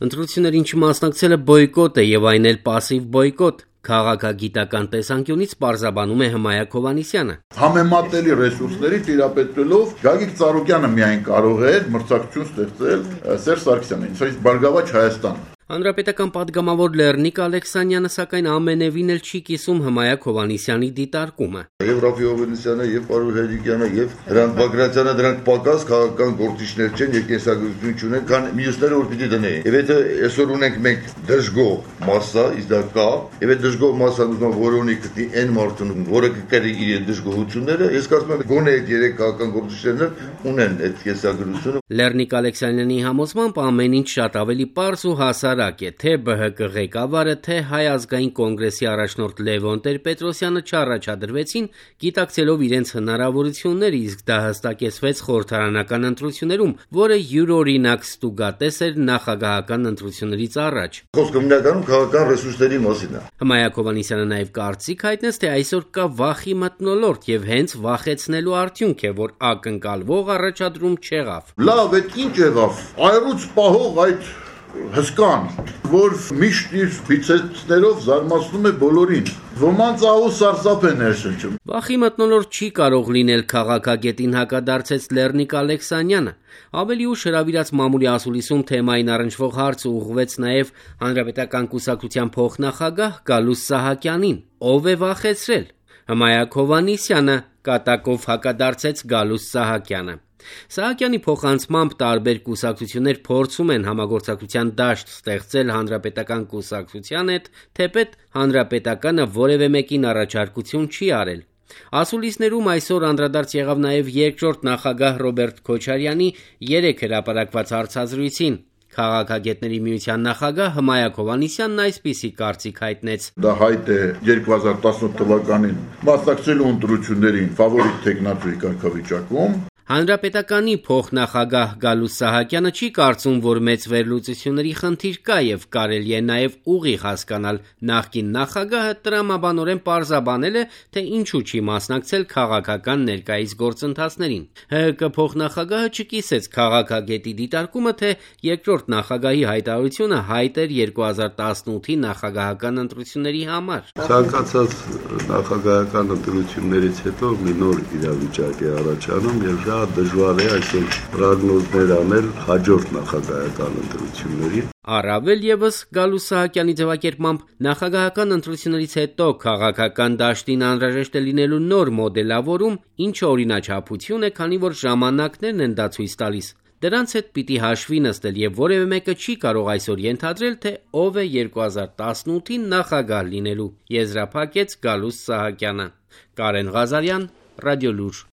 Ընտրություններին չմասնակցելը բոյկոտ է եւ այն էլ պասիվ բոյկոտ, քաղաքագիտական տեսանկյունից պարզաբանում է Հմայակ Հովհաննիսյանը։ Համեմատելի ռեսուրսների տիրապետելով Գագիկ Ծառուկյանը միայն կարող է մրցակցություն ստեղծել Սերժ Սարգսյանին, իսկ Բարգավաճ Հայաստանը։ Հանրապետական պատգամավոր Լեռնիկ Ալեքսանյանը սակայն ամենևին էլ չի կիսում Հմայակ Հովհաննիսյանի դիտարկումը։ Եվ Ռաֆի Հովհաննիսյանը, եւ Պարոն Հերիկյանը, եւ Հրանտ Բագրատյանը դրանք պակաս քաղաքական գործիչներ չեն եւ կենսագրություն չունեն, քան մյուսները որ պիտի դնեին։ Եվ եթե այսօր ունենք մենք դժգոհ մասսա, իսկ դա կա, եւ այդ դժգոհ մասսան ուզում որոնի գտնի այն մարդուն, որը կկրի իր դժգոհությունները, ես կարծում եմ գոնե այդ երեք քաղաքական գործիչներն ունեն այդ կենսագրությունը։ Լեռնիկ Ալեքսանյանի համոզմամբ ամեն ինչ շատ ավելի պարզ ու հասարակ է, թե ԲՀԿ ղեկավարը, թե Հայ ազգային կոնգրեսի առաջնորդ Լևոն Տեր-Պետրոսյանը չառաջադրվեցին, գիտակցելով իրենց հնարավորությունները, իսկ դա հստակեցվեց խորհրդարանական ընտրություններում, որը յուրօրինակ ստուգատես էր նախագահական ընտրություններից առաջ։ Խոսքը հիմնականում քաղաքական ռեսուրսների մասին է։ Հմայակ Հովհաննիսյանը նաև կարծիք հայտնեց, թե այսօր կա վախի մթնոլորտ եւ հենց վախեցնելու արդյունք է, որ ակնկալվող առաջադրում չեղավ։ Լավ, այդ ինչ եղավ։ Այրուց պահող այդ հսկան, որ միշտ իր բիցեցներով զարմացնում է բոլորին։ Ոմանց ահու սարսափ է ներշնչում։ Վախի մթնոլորտ չի կարող լինել քաղաքագետին հակադարձեց Լեռնիկ Ալեքսանյանը։ Ավելի ուշ հրավիրած մամուլի ասուլիսում թեմային առնչվող հարցը ուղղվեց նաև Հանրապետական կուսակցության փոխնախագահ Գալուստ Սահակյանին։ Ով է վախեցրել։ Հմայակ Հովհաննիսյանը կատակով հակադարձեց Գալուստ Սահակյանը։ Սահակյանի փոխանցմամբ տարբեր կուսակցություններ փորձում են համագործակցության դաշտ ստեղծել հանրապետական կուսակցության հետ, թեպետ հանրապետականը որևէ մեկին առաջարկություն չի արել։ Ասուլիսներում այսօր անդրադարձ եղավ նաև երկրորդ նախագահ Ռոբերտ Քոչարյանի 3 հրապարակված հարցազրույցին։ Քաղաքագետների միության նախագահ Հմայակ Հովհաննիսյանն այսպիսի կարծիք հայտնեց. Դա հայտ է 2018 թվականին մասնակցելու ընտրություններին ֆավորիտ տեխնատուի կարգավիճակում։ Հանրապետականի փոխնախագահ Գալուստ Սահակյանը չի կարծում, որ մեծ վերլուծությունների խնդիր կա եւ կարելի է նաեւ ուղիղ հասկանալ նախկին նախագահը տրամաբանորեն պարզաբանել է, թե ինչու չի մասնակցել քաղաքական ներկայիս գործընթացներին։ ՀՀԿ փոխնախագահը չկիսեց քաղաքագետի դիտարկումը, թե երկրորդ նախագահի հայտարարությունը հայտ էր 2018-ի նախագահական ընտրությունների համար։ Ցանկացած նախագահական ընտրություններից հետո մի նոր իրավիճակ է առաջանում եւ շատ դժվար է այսօր պրոգնոզներ անել հաջորդ նախագահական ընտրությունների։ Առավել եւս Գալուստ Սահակյանի ձևակերպմամբ նախագահական ընտրություններից հետո քաղաքական դաշտին անհրաժեշտ է լինելու նոր մոդելավորում, ինչը օրինաչափություն է, քանի որ ժամանակներն են դա ցույց տալիս։ Դրանց հետ պիտի հաշվի նստել եւ որևէ մեկը չի կարող այսօր ենթադրել, թե ով է 2018-ին նախագահ լինելու, եզրափակեց Գալուստ Սահակյանը։ Կարեն Ղազարյան, Ռադիոլուր։